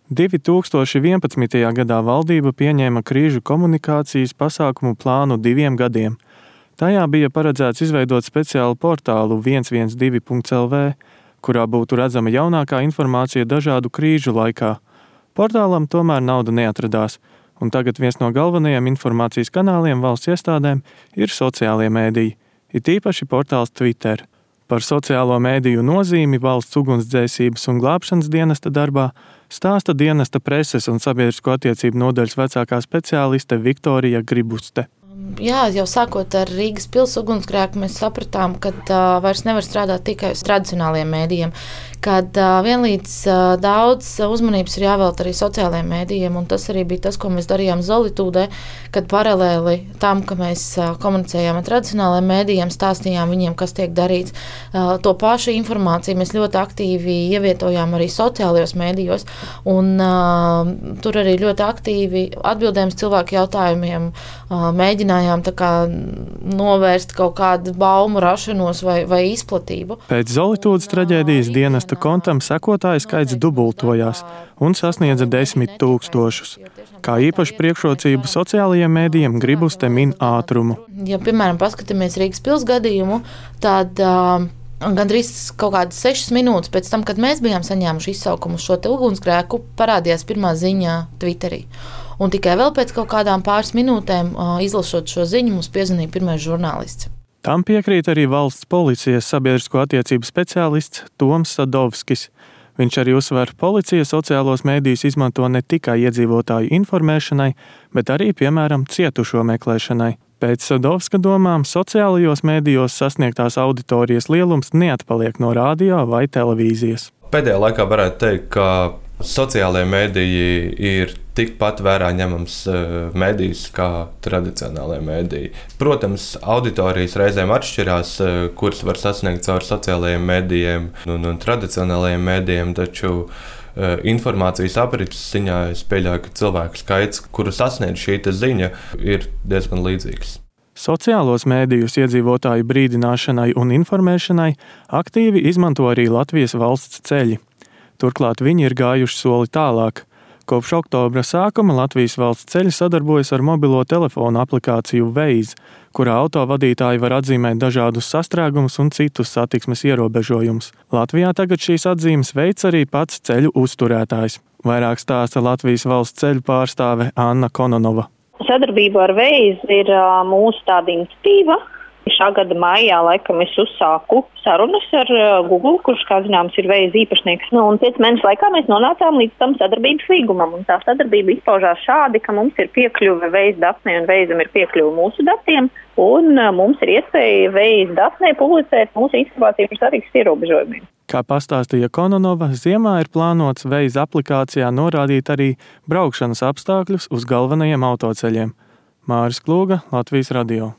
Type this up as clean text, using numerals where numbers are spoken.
2011. gadā valdība pieņēma krīžu komunikācijas pasākumu plānu 2 gadiem. Tajā bija paredzēts izveidot speciālu portālu 112.lv, kurā būtu redzama jaunākā informācija dažādu krīžu laikā. Portālam tomēr nauda neatradās, un tagad viens no galvenajiem informācijas kanāliem valsts iestādēm ir sociālie mēdīji, it īpaši portāls Twitter. Par sociālo mēdīju nozīmi valsts ugunsdzēsības un glābšanas dienesta darbā stāsta dienesta preses un sabiedrisko attiecību nodaļas vecākā speciāliste Viktorija Gribuste. Jā, jau sākot ar Rīgas pils ugunsgrēku, mēs sapratām, ka vairs nevar strādāt tikai uz tradicionāliem mēdījiem, kad vienlīdz daudz uzmanības ir jāvelta arī sociālajiem mēdījiem, un tas arī bija tas, ko mēs darījām Zolitūdē, kad paralēli tam, ka mēs komunicējām ar tradicionālajiem mēdījiem, stāstījām viņiem, kas tiek darīts. To pašu informāciju mēs ļoti aktīvi ievietojām arī sociālajos mēdījos, un tur arī ļoti aktīvi atbildējām cilvēku jautājumiem, mēģinājām tā kā novērst kaut kādu baumu rašanos vai izplatību. Pēc Zolitūdas traģēdijas dienesta kontam sekotāju skaits dubultojās un sasniedza 10 000. Kā īpaši priekšrocību sociālajiem mēdījiem Gribuste min ātrumu. Ja, piemēram, paskatāmies Rīgas pils gadījumu, tad gandrīz kaut kādas 6 minūtes pēc tam, kad mēs bijām saņēmuši izsaukumu uz šo te ugunsgrēku, parādījās pirmā ziņa Twitterī. Un tikai vēl pēc kaut kādām pāris minūtēm, izlasot šo ziņu, mums piezvanīja pirmais žurnālists. Tam piekrīt arī valsts policijas sabiedrisko attiecību speciālists Toms Sadovskis. Viņš arī uzsver, policija sociālos mēdījus izmanto ne tikai iedzīvotāju informēšanai, bet arī, piemēram, cietušo meklēšanai. Pēc Sadovska domām, sociālajos mēdījos sasniegtās auditorijas lielums neatpaliek no radio vai televīzijas. Pēdējā laikā varētu teikt, ka sociālajie mēdīji ir tikpat vērā ņemams mēdījis kā tradicionālajie mēdīji. Protams, auditorijas reizēm atšķirās, kuras var sasniegt caur sociālajiem mēdījiem un tradicionālajiem mēdījiem, taču informācijas aprites ziņā es pieļauju, ka cilvēku skaits, kuru sasniedz šī ziņa, ir diezgan līdzīgs. Sociālos mēdījus iedzīvotāju brīdināšanai un informēšanai aktīvi izmanto arī Latvijas valsts ceļi. Turklāt viņi ir gājuši soli tālāk. Kopš oktobra sākuma Latvijas valsts ceļi sadarbojas ar mobilo telefonu aplikāciju Waze, kurā autovadītāji var atzīmēt dažādus sastrēgumus un citus satiksmes ierobežojumus. Latvijā tagad šīs atzīmes veic arī pats ceļu uzturētājs. Vairāk stāsta Latvijas valsts ceļu pārstāve Anna Kononova. Sadarbība ar Waze ir mūsu tāda iniciatīva. Šā gada maijā laikam es uzsāku sarunas ar Google, kurš, kā zināms, ir Waze īpašnieks. Un 5 mēnešu laikā mēs nonācām līdz tam sadarbības līgumam. Un tā sadarbība izpaužās šādi, ka mums ir piekļuve Waze datnē un Waze'am ir piekļuve mūsu datiem. Un mums ir iespēja Waze datnē publicēt mūsu informāciju par satiksmes ierobežojumiem. Kā pastāstīja Kononova, ziemā ir plānots Waze aplikācijā norādīt arī braukšanas apstākļus uz galvenajiem autoceļiem. Māris Klūga, Latvijas radio.